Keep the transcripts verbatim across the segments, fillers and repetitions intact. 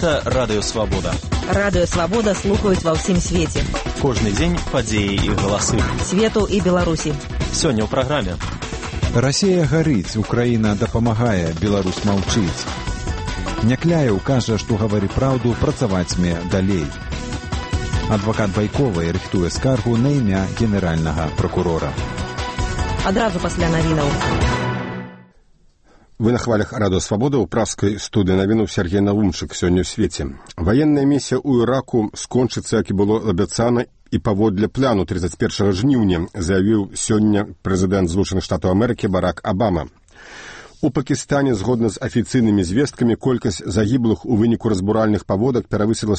Гэта Радыё Свабода. Радыё Свабода слухаюць ва ўсім свеце. Кожны дзень падзеі і галасы. Свету і Беларусі. Сёння ў праграме. Расія гарыць, Украіна дапамагае, Беларусь маўчыць. Някляеў кажа, што гавары праўду, працаваць мне далей. Адвакат Байковай рыхтуе скаргу на імя генеральнага пракурора. Адразу пасля навінаў. Вы на хвалях Радыё Свабода ў пражскай студыі навінуў Сергей Наумчык сёння ў свеце. Ваенная місія ў Іраку скончыцца, як і было абяцана, і паводле плану тридцать первого жніўня, заявіў сёння прэзідэнт Злучаных Штатаў Амерыкі Барак Абама. У Пакістане, згодна з афіцыйнымі звесткамі, колькасць загіблых у выніку разбуральных паводак перавысіла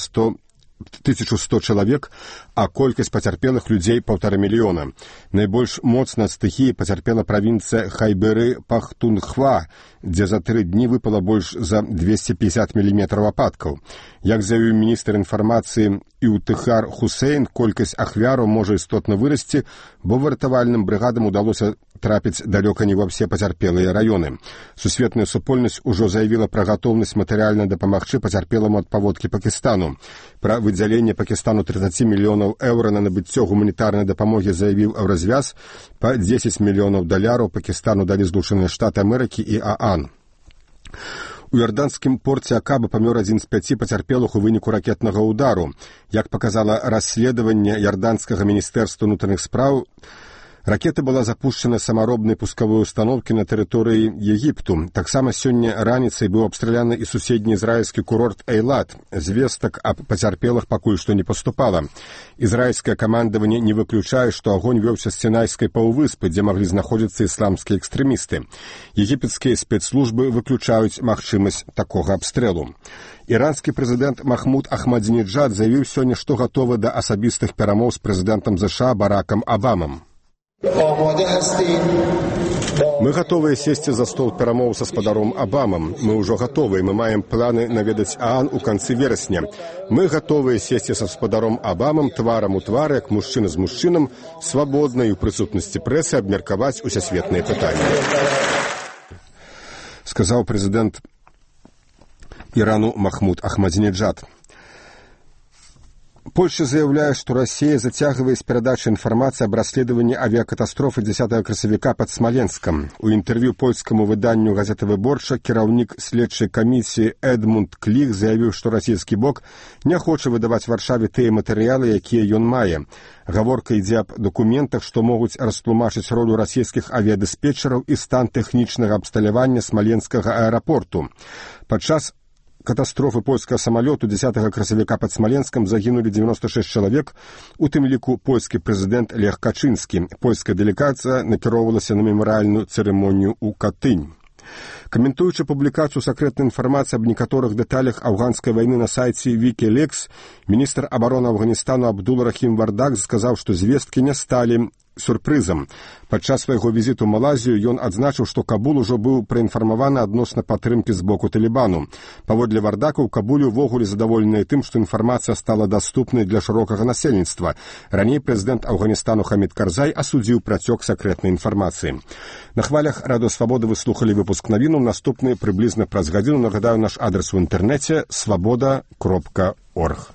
тысячу сто чалавек, а колькасць пацярпелых людзей паўтара мільёна. Найбольш моцна ад стыхіі пацярпела правінцыя Хайберы-Пахтунхва, дзе за тры дні выпала больш за двести пятьдесят міліметраў ападкаў. Як заявіў міністр інфармацыі Іўтыхар Хусейн, колькасць ахвяраў можа істотна вырасці, бо выратавальным брыгадам удалося трапіць далёка не ва ўсе пацярпелыя раёны. Сусветная супольнасць ужо заявіла пра гатоўнасць матэрыяльна дапамагчы пацярпеламу ад паводкі Пакістану. Пра выдзяленне Пакістану тридцать мільёнаў еўра на набыццё гуманітарнай дапамогі заявіў Еўразвяз, па дзесяць мільёнаў даляраў Пакістану далі Злучаныя Штаты Амерыкі і ААН. У іорданскім порце Акаба памёр адзін з пяці пацярпелых у выніку ракетнага ўдару. Як паказала расследаванне іорданскага міністэрства ўнутраных спраў, ракета была запущена самаробнай пускавой установкі на тэрыторыі Егіпту. Таксама сёння раніцай быў абстраляны і суседні ізраільскі курорт Эйлат. Звестак аб пацярпелых пакуль што не паступала. Ізраільскае камандаванне не выключае, што агонь вёўся з Сінайскай паўвыспы, дзе маглі знаходзіцца ісламскія экстрэмісты. Егіпецкія спецслужбы выключаюць магчымасць такога абстрэлу. Іранскі прэзідэнт Махмуд Ахмадзінеджад заявіў сёння, што гатовы да асабістых перамоў з прэзідэнтам ЗША Баракам Абамам. Мы гатовыя сесці за стол перамоў са спадаром Абамам. Мы ўжо гатовыя, мы маем планы наведаць ААН у канцы верасня. Мы гатовыя сесці са спадаром Абамам тварам у твар, як мужчына з мужчынам, свабодна і ў прысутнасці прэсы абмеркаваць усесветныя пытанні. Сказаў прэзідэнт Ірану Махмуд Ахмадзінеджад. Польша заяўляе, што Расія зацягвае з перадачай інфармацыі аб расследаванні авіякатастрофы дзесятага красавіка пад Смаленскам. У інтэрв'ю польскаму выданню газеты «Выборча» кіраўнік следчай камісіі Эдмунд Кліх заявіў, што расійскі бок не хоча выдаваць Варшаве тыя матэрыялы, якія ён мае. Гаворка ідзе аб дакументах, што могуць растлумачыць ролю расійскіх авіядыспетчараў і стан тэхнічнага абсталявання смаленскага аэрапорту. Падчас катастрофы польскага самалёту дзесятага красавіка пад Смаленскам загінулі девяносто шесть чалавек, у тым ліку польскі прэзідэнт Лех Качынскі. Польская дэлегацыя накіроўвалася на мемарыяльную цырымонію ў Катынь. Каментуючы публікацыю сакрэтнай інфармацыі аб некаторых дэталях афганскай вайны на сайце Wikileaks, міністр абароны Афганістану Абдул Рахім Вардак сказаў, што звесткі не сталі сюрпрызам. Падчас свайго візіту ў Малайзію ён адзначыў, што Кабул ужо быў праінфармаваны адносна падтрымкі з боку Талібану. Паводле Вардака, ў Кабуле ўвогуле задаволеныя тым, што інфармацыя стала даступнай для шырокага насельніцтва. Раней прэзідэнт Афганістану Хамід Карзай асудзіў працёк сакрэтнай інфармацыі. На хвалях Радыё Свабода вы слухалі выпуск навіну. Наступны прыблізна праз гадзіну. Нагадаю, наш адрес у інтэрнэце свабода кропка орг.